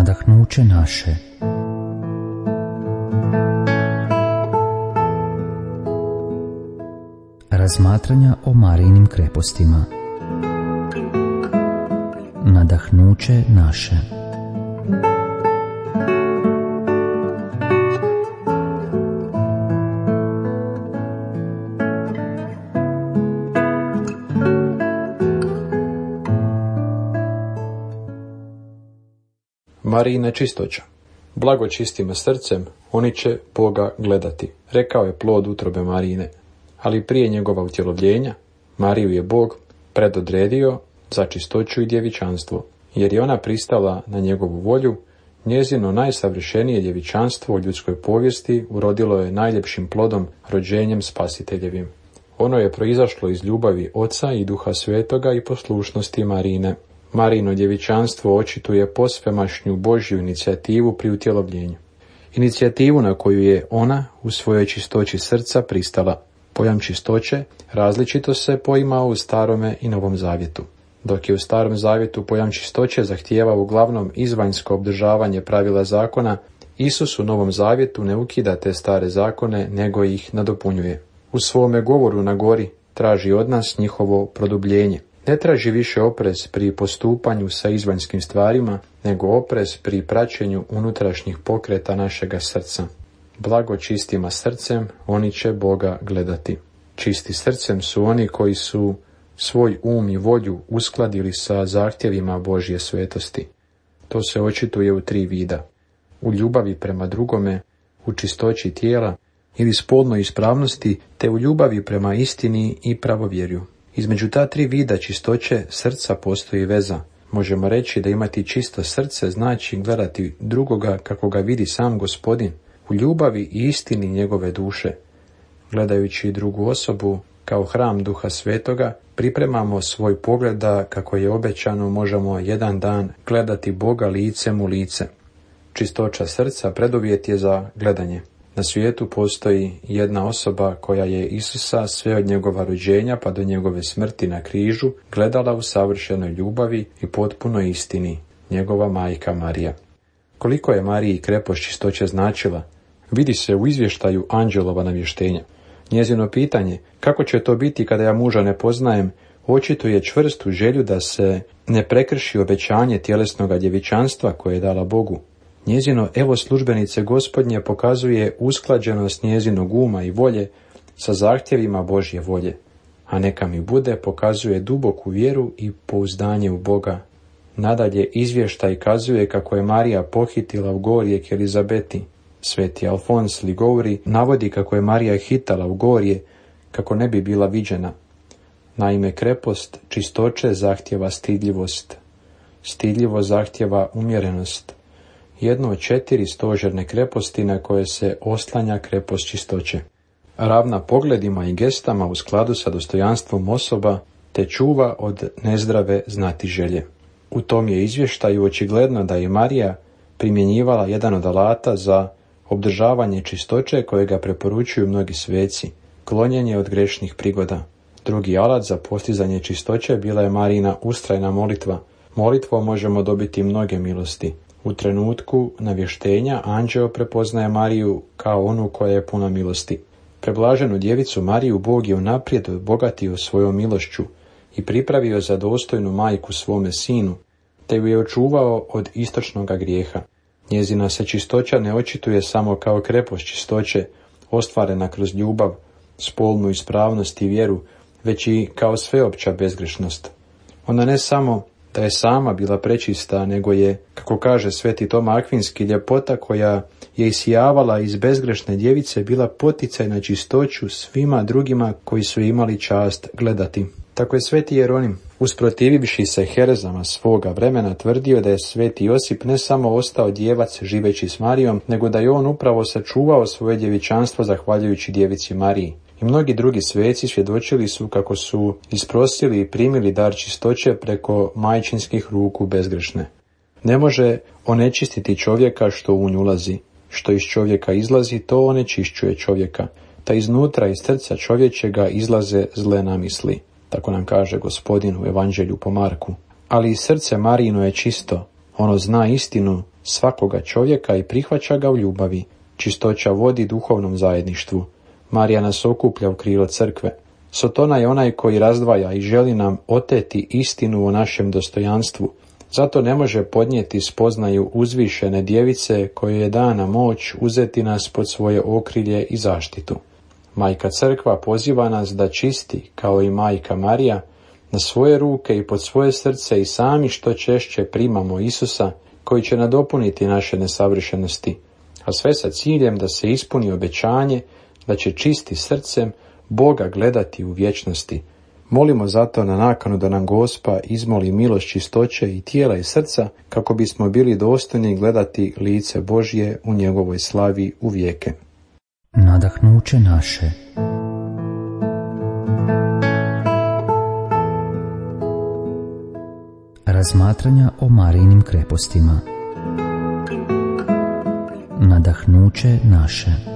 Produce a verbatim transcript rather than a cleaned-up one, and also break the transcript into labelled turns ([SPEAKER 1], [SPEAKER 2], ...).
[SPEAKER 1] nadahnuće naše. Razmatranja o Marijinim krepostima. Nadahnuće naše.
[SPEAKER 2] Marijina čistoća. Blago čistima srcem, oni će Boga gledati, rekao je plod utrobe Marijine. Ali prije njegova utjelovljenja, Mariju je Bog predodredio za čistoću i djevičanstvo, jer je ona pristala na njegovu volju. Njezino najsavršenije djevičanstvo u ljudskoj povijesti urodilo je najljepšim plodom, rođenjem Spasiteljevim. Ono je proizašlo iz ljubavi Oca i Duha Svetoga i poslušnosti Marijine. Marijino djevičanstvo očituje posvemašnju Božju inicijativu pri utjelovljenju. Inicijativu na koju je ona u svojoj čistoći srca pristala. Pojam čistoće različito se poimao u Starome i Novom Zavjetu. Dok je u Starom Zavjetu pojam čistoće zahtijevao uglavnom izvanjsko obdržavanje pravila zakona, Isus u Novom Zavjetu ne ukida te stare zakone, nego ih nadopunjuje. U svome govoru na gori traži od nas njihovo produbljenje. Ne traži više oprez pri postupanju sa izvanjskim stvarima, nego oprez pri praćenju unutrašnjih pokreta našega srca. Blago čistima srcem, oni će Boga gledati. Čisti srcem su oni koji su svoj um i volju uskladili sa zahtjevima Božje svetosti. To se očituje u tri vida. U ljubavi prema drugome, u čistoći tijela ili spolnoj ispravnosti, te u ljubavi prema istini i pravovjerju. Između ta tri vida čistoće srca postoji veza. Možemo reći da imati čisto srce znači gledati drugoga kako ga vidi sam Gospodin, u ljubavi i istini njegove duše. Gledajući drugu osobu kao hram Duha Svetoga, pripremamo svoj pogled da, kako je obećano, možemo jedan dan gledati Boga licem u lice. Čistoća srca preduvjet je za gledanje. Na svijetu postoji jedna osoba koja je Isusa sve od njegova rođenja pa do njegove smrti na križu gledala u savršenoj ljubavi i potpunoj istini, njegova majka Marija. Koliko je Mariji krepost čistoće značila, vidi se u izvještaju anđelova navještenja. Njezino pitanje, kako će to biti kada ja muža ne poznajem, očituje čvrstu želju da se ne prekrši obećanje tjelesnoga djevičanstva koje je dala Bogu. Njezino evo službenice Gospodnje pokazuje usklađenost njezinog uma i volje sa zahtjevima Božje volje, a neka mi bude pokazuje duboku vjeru i pouzdanje u Boga. Nadalje izvještaj kazuje kako je Marija pohitila u gorje k Elizabeti. Sveti Alfons Ligouri navodi kako je Marija hitala u gorje kako ne bi bila viđena. Naime, krepost čistoće zahtjeva stidljivost. Stidljivo zahtjeva umjerenost. Jedno od četiri stožerne kreposti na koje se oslanja krepost čistoće. Ravna pogledima i gestama u skladu sa dostojanstvom osoba, te čuva od nezdrave znatiželje. U tom je izvještaju očigledno da je Marija primjenjivala jedan od alata za obdržavanje čistoće kojega preporučuju mnogi sveci, klonjenje od grešnih prigoda. Drugi alat za postizanje čistoće bila je Marijina ustrajna molitva. Molitvom možemo dobiti mnoge milosti. U trenutku navještenja anđeo prepoznaje Mariju kao onu koja je puna milosti. Preblaženu djevicu Mariju Bog je unaprijed obogatio svojom milošću i pripravio za dostojnu majku svome sinu, te ju je očuvao od istočnoga grijeha. Njezina se čistoća ne očituje samo kao krepost čistoće, ostvarena kroz ljubav, spolnu ispravnost i vjeru, već i kao sveopća bezgrešnost. Ona ne samo da je sama bila prečista, nego je, kako kaže sveti Toma Akvinski, ljepota koja je isijavala iz bezgrešne djevice bila poticaj na čistoću svima drugima koji su imali čast gledati. Tako je sveti Jeronim, usprotivivši se herezama svoga vremena, tvrdio da je sveti Josip ne samo ostao djevac živeći s Marijom, nego da je on upravo sačuvao svoje djevičanstvo zahvaljujući djevici Mariji. I mnogi drugi sveci svjedočili su kako su isprosili i primili dar čistoće preko majčinskih ruku bezgrešne. Ne može onečistiti čovjeka što u nju ulazi. Što iz čovjeka izlazi, to onečišćuje čovjeka. Ta iznutra iz srca čovječega izlaze zle namisli. Tako nam kaže Gospodin u Evanđelju po Marku. Ali i srce Marijino je čisto, Ono zna istinu svakoga čovjeka i prihvaća ga u ljubavi. Čistoća vodi duhovnom zajedništvu. Marija nas okuplja u krilo crkve. Sotona je onaj koji razdvaja i želi nam oteti istinu o našem dostojanstvu. Zato ne može podnijeti spoznaju uzvišene djevice kojoj je dana moć uzeti nas pod svoje okrilje i zaštitu. Majka Crkva poziva nas da čisti, kao i Majka Marija, na svoje ruke i pod svoje srce i sami što češće primamo Isusa, koji će nadopuniti naše nesavršenosti, a sve sa ciljem da se ispuni obećanje da će čisti srcem Boga gledati u vječnosti. Molimo zato na nakanu da nam Gospa izmoli milost čistoće i tijela i srca, kako bismo bili dostojni gledati lice Božje u njegovoj slavi u vijeke.
[SPEAKER 1] Nadahnuće naše. Razmatranja o Marijinim krepostima. Nadahnuće naše.